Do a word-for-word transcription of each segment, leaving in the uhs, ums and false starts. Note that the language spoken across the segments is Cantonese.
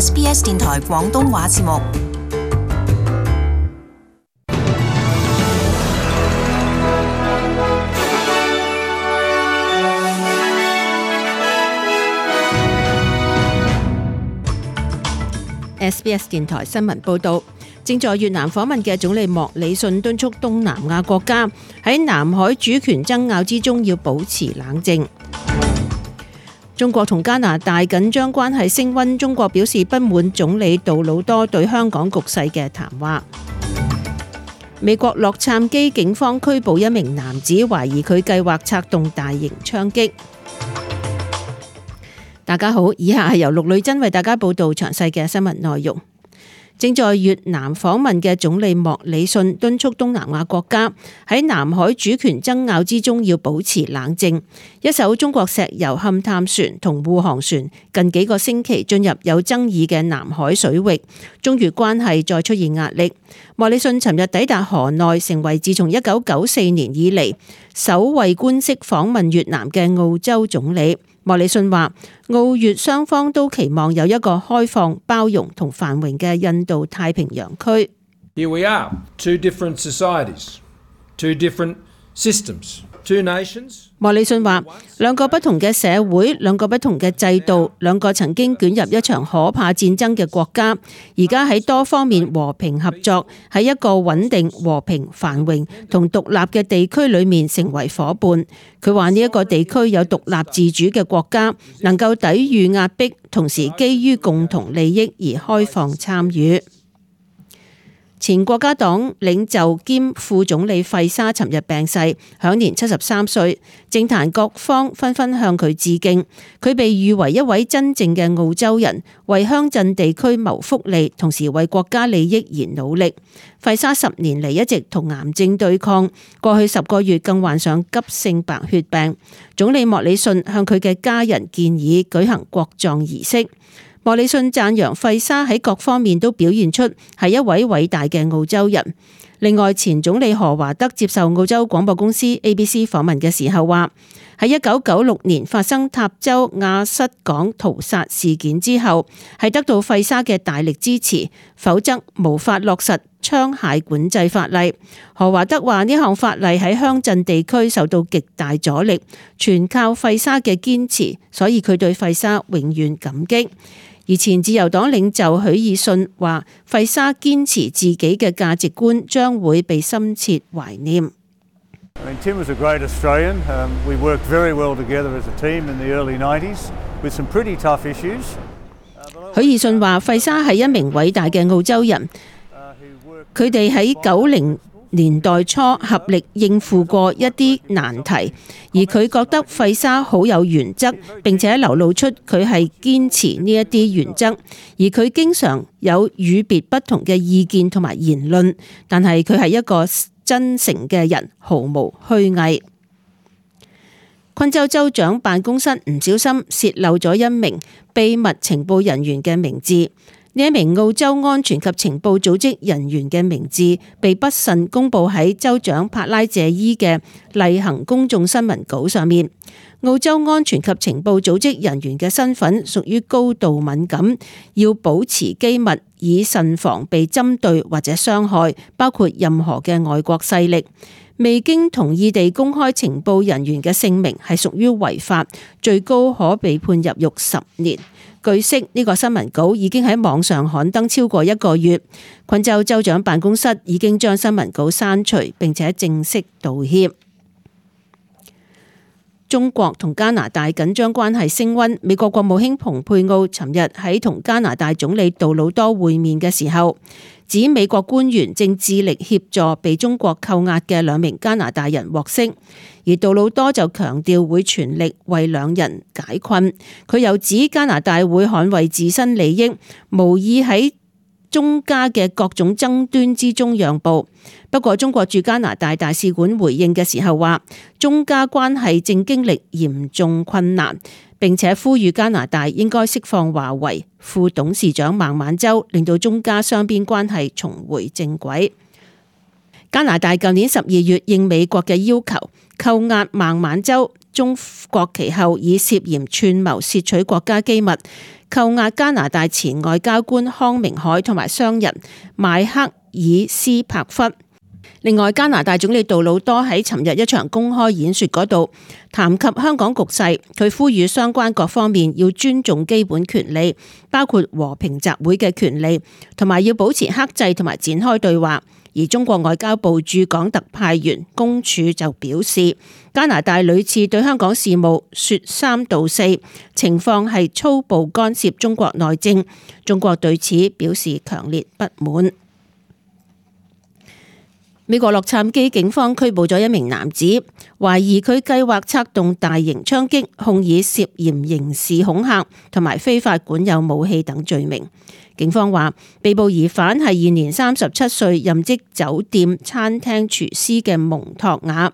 S B S 電台廣東話節目。S B S 電台新聞報道，正在越南訪問嘅總理莫里遜敦促東南亞國家喺南海主權爭拗之中要保持冷靜。中國同加拿大緊張關係升溫，中國表示不滿總理杜魯多對香港局勢嘅談話。美國洛杉磯警方拘捕一名男子，懷疑佢計劃策動大型槍擊。大家好，以下係由陸女真為大家報道詳細嘅新聞內容。正在越南訪問嘅總理莫里遜敦促東南亞國家喺南海主權爭拗之中要保持冷靜。一艘中國石油勘探船同護航船近幾個星期進入有爭議嘅南海水域，中越關係再出現壓力。莫里遜尋日抵達河內，成為自從一九九四年以嚟首位官式訪問越南嘅澳洲總理。莫里遜話，澳越雙方都期望有一個開放、包容同繁榮嘅印度太平洋區。Here we are, two different societies, two different systems, two nations. 莫里遜話，兩個不同嘅社會，兩個不同嘅制度，兩個曾經捲入一場可怕戰爭嘅國家，而家喺多方面和平合作，喺一個穩定、和平、繁榮同獨立嘅地區裏面成為夥伴。佢話呢一個地區有獨立自主嘅國家，能夠抵禦壓迫，同時基於共同利益而開放參與。前國家黨領袖兼副總理費沙尋日病逝，享年七十三歲。政壇各方紛紛向佢致敬。佢被譽為一位真正嘅澳洲人，為鄉鎮地區謀福利，同時為國家利益而努力。費沙十年嚟一直同癌症對抗，過去十個月更患上急性白血病。總理莫里遜向佢嘅家人建議舉行國葬儀式。莫里遜讚揚費沙喺各方面都表現出係一位偉大嘅澳洲人。另外，前總理何華德接受澳洲廣播公司 A B C 訪問嘅時候話，喺一九九六年發生塔州亞瑟港屠殺事件之後，係得到費沙嘅大力支持，否則無法落實槍械管制法例。何華德話呢項法例喺鄉鎮地區受到極大阻力，全靠費沙嘅堅持，所以佢對費沙永遠感激。而前自由黨領袖許爾遜話，費沙堅持自己嘅價值觀將會被深切懷念。Tim was a great Australian. We worked very well together as a team in the early nineties with some pretty tough issues. 許爾遜話，費沙係一名偉大嘅澳洲人，佢哋喺九零年代初合力應付過一啲難題，而佢覺得費沙好有原則，並且流露出佢係堅持呢一啲原則，而佢經常有與別不同嘅意見同埋言論，但係佢係一個真誠嘅人，毫無虛偽。昆州州長辦公室唔小心洩漏咗一名秘密情報人員嘅名字。呢一名澳洲安全及情報組織人員嘅名字被不慎公佈喺州長帕拉謝伊嘅例行公眾新聞稿上面。澳洲安全及情報組織人員嘅身份屬於高度敏感，要保持機密，以慎防被針對或者傷害，包括任何嘅外國勢力。未經同意地公開情報人員嘅姓名係屬於違法，最高可被判入獄十年。據悉，呢個新聞稿已經喺網上刊登超過一個月。昆州州長辦公室已經將新聞稿刪除，並且正式道歉。中國同加拿大緊張關係升溫。美國國務卿蓬佩奧尋日喺同加拿大總理杜魯多會面嘅時候，指美國官員正致力協助被中國扣押嘅兩名加拿大人獲釋，而杜魯多就強調會全力為兩人解困。佢又指加拿大會捍衛自身利益，無意喺中加嘅各種爭端之中讓步。不過中國駐加拿大大使館回應嘅時候話，中加關係正經歷嚴重困難，並且呼籲加拿大應該釋放華為副董事長孟晚舟，令到中加雙邊關係重回正軌。加拿大舊年十二月應美國嘅要求扣押孟晚舟中國其後，以涉嫌串謀竊取國家機密，扣押加拿大前外交官康明凱同埋商人邁克爾斯柏弗。另外，加拿大總理杜魯多喺尋日一場公開演說嗰度談及香港局勢，佢呼籲相關各方面要尊重基本權利，包括和平集會嘅權利，同埋要保持克制同埋展開對話。而中國外交部駐港特派員公署就表示，加拿大屢次對香港事務說三道四，情況係粗暴干涉中國內政，中國對此表示強烈不滿。美國洛杉磯警方拘捕咗一名男子，懷疑佢計劃策動大型槍擊，控以涉嫌刑事恐嚇同埋非法管有武器等罪名。警方話，被捕疑犯係現年三十七歲，任職酒店餐廳廚師嘅蒙托瓦。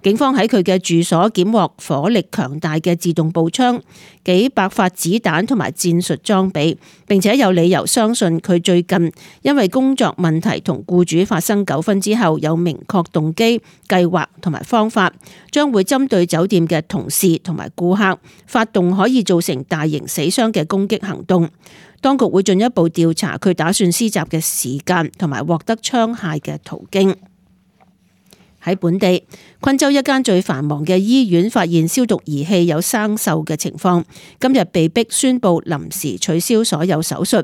警方喺佢嘅住所檢獲火力強大嘅自動步槍、幾百發子彈同埋戰術裝備，並且有理由相信佢最近因為工作問題同僱主發生糾紛之後，有明確動機、計劃同埋方法，將會針對酒店嘅同事同埋顧客，發動可以造成大型死傷嘅攻擊行動。當局會進一步調查佢打算施襲嘅時間同埋獲得槍械嘅途徑。喺本地，昆州一間最繁忙嘅醫院發現消毒儀器有生鏽嘅情況，今日被迫宣布臨時取消所有手術。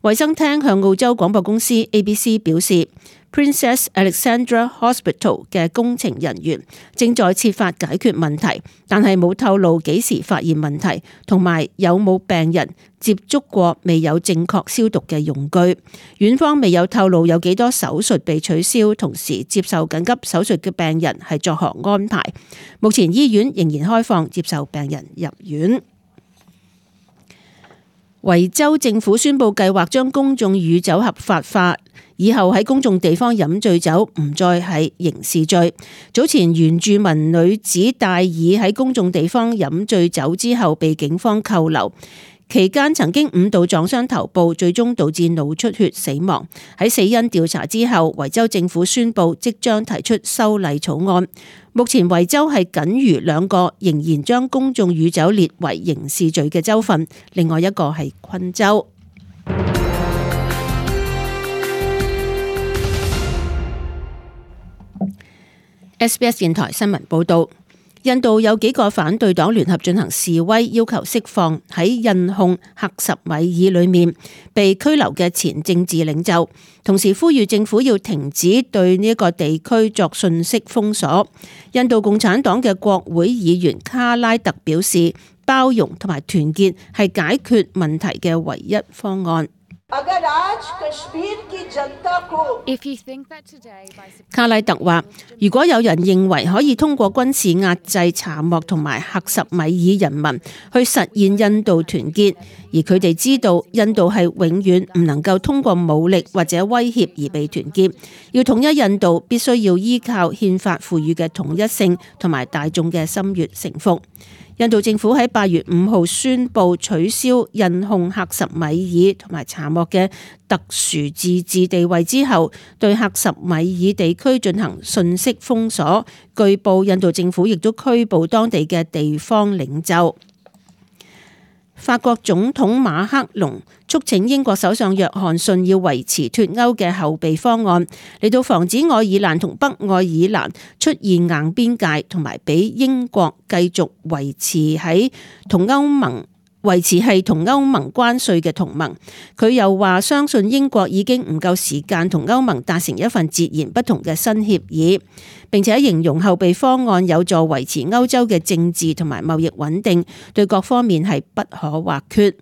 衛生廳向澳洲廣播公司 A B C 表示， Princess Alexandra Hospital 嘅工程人員正在設法解決問題，但係冇透露幾時發現問題，同埋有冇病人接觸過未有正確消毒嘅用具。院方未有透露有幾多手術被取消，同時接受緊急手術嘅病人係作何安排。目前醫院仍然開放接受病人入院。維州政府宣布計劃將公眾酗酒合法化，以後喺公眾地方飲醉酒唔再係刑事罪。早前原住民女子戴爾喺公眾地方飲醉酒之後被警方扣留，期間曾經五度撞傷頭部，最終導致腦出血死亡。喺死因調查之後，維州政府宣布即將提出修例草案。目前維州係僅餘兩個仍然將公眾酗酒列為刑事罪嘅州份，另外一個係昆州。S B S 電台新聞報道。印度有幾個反對黨聯合進行示威，要求釋放喺印控克什米爾裏面被拘留嘅前政治領袖，同時呼籲政府要停止對呢一個地區作信息封鎖。印度共產黨嘅國會議員卡拉特表示，包容同埋團結係解決問題嘅唯一方案。卡拉特話，如果有人認為可以通過軍事壓制查莫同埋克什米爾人民去實現印度團結，而佢哋知道印度係永遠唔能夠通過武力或者威脅而被團結，要統一印度必須要依靠憲法賦予嘅統一性同埋大眾嘅心悅誠服。印度政府喺八月五號宣布取消印控克什米爾同埋查莫嘅特殊自治地位之後，對克什米爾地區進行信息封鎖。據報，印度政府亦都拘捕當地嘅地方領袖。法國總統馬克龍促請英國首相約翰遜要維持脫歐嘅後備方案，嚟到防止愛爾蘭同北愛爾蘭出現硬邊界，同埋俾英國繼續維持喺同歐盟維持係同歐盟關稅嘅同盟。佢又話相信英國已經唔夠時間同歐盟達成一份截然不同嘅新協議，並且形容後備方案有助維持歐洲嘅政治同埋貿易穩定，對各方面係不可或缺。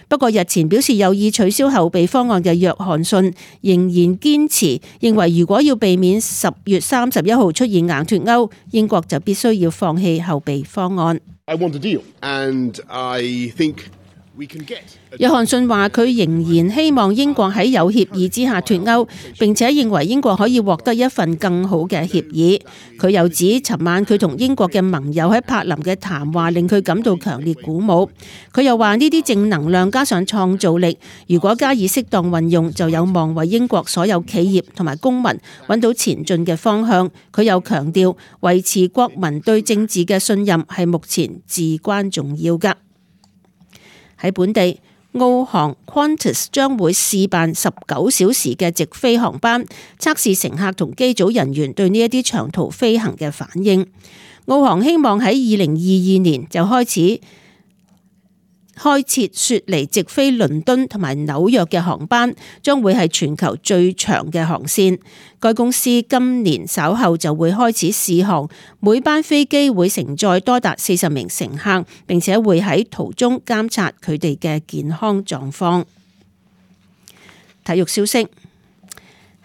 不過日前表示有意取消後備方案嘅約翰遜仍然堅持，認為如果要避免十月三十一號出現硬脫歐，英國就必須要放棄後備方案。I want a deal, and I think we can get. 約翰遜話佢仍然希望英國喺有協議之下脫歐，並且認為英國可以獲得一份更好嘅協議。佢又指尋晚佢同英國嘅盟友喺柏林嘅談話令佢感到強烈鼓舞。佢又話呢啲正能量加上創造力，如果加以適當運用，就有望為英國所有企業同埋公民揾到前進嘅方向。佢又強調維持國民對政治嘅信任係目前至關重要㗎。喺本地，澳航 Qantas 將會試辦十九小時嘅直飛航班，測試乘客同機組人員對呢一啲長途飛行嘅反應。澳航希望喺二零二二年就開始開設雪梨直飛倫敦同埋紐約嘅航班，將會係全球最長嘅航線。該公司今年稍後就會開始試航，每班飛機會承載多達四十名乘客，並且會喺途中監察佢哋嘅健康狀況。體育消息。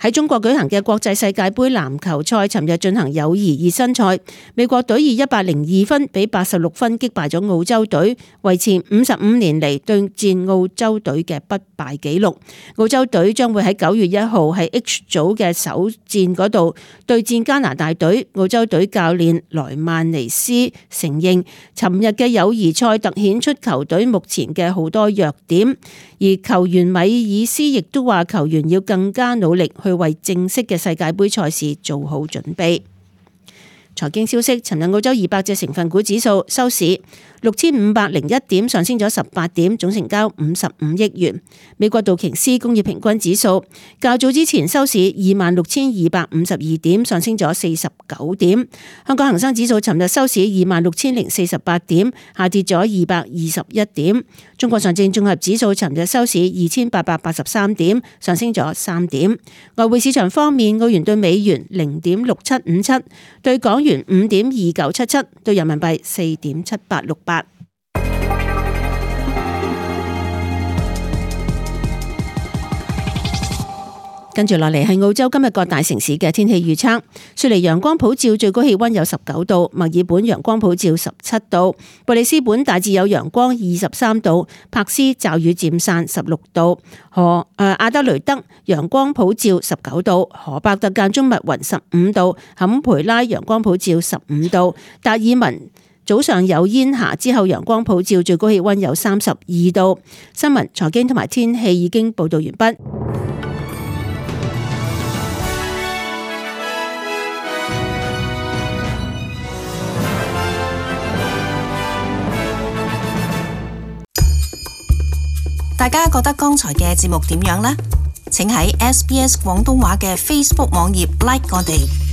喺中國舉行嘅國際世界盃籃球賽，尋日進行友誼熱身賽，美國隊以一百零二分比八十六分擊敗咗澳洲隊，維持五十五年嚟對戰澳洲隊嘅不敗紀錄。澳洲隊將會喺九月一號喺 H 組嘅首戰嗰度對戰加拿大隊。澳洲隊教練萊曼尼斯承認，尋日嘅友誼賽突顯出球隊目前嘅好多弱點，而球員米爾斯亦都話球員要更加努力去為正式嘅世界盃賽事做好準備。財經消息，尋日澳洲二百隻成分股指數收市六千五百零一點，上升咗十八點，總成交五十五億元。美國道瓊斯工業平均指數較早之前收市二萬六千二百五十二點，上升咗四十九點。香港恒生指數尋日收市二萬六千零四十八點，下跌咗二百二十一點。中國上證綜合指數尋日收市二千八百八十三點，上升咗三點。外匯市場方面，澳元對美元零點六七五七，對港元五點二九七七，對人民幣四點七八六八。跟住落嚟係澳洲今日各大城市嘅天氣預測。雪梨陽光普照，最高氣溫有十九度；墨爾本陽光普照十七度；布里斯本大致有陽光二十三度；柏斯驟雨漸散十六度；荷誒阿德雷德陽光普照十九度；荷伯特間中密雲十五度；坎培拉陽光普照十五度；達爾文早上有煙霞，之後陽光普照，最高氣溫有三十二度。新聞、財經同埋天氣已經報道完畢。大家覺得剛才嘅節目點樣呢？請喺 S B S 廣東話嘅 Facebook 網頁 like 我哋。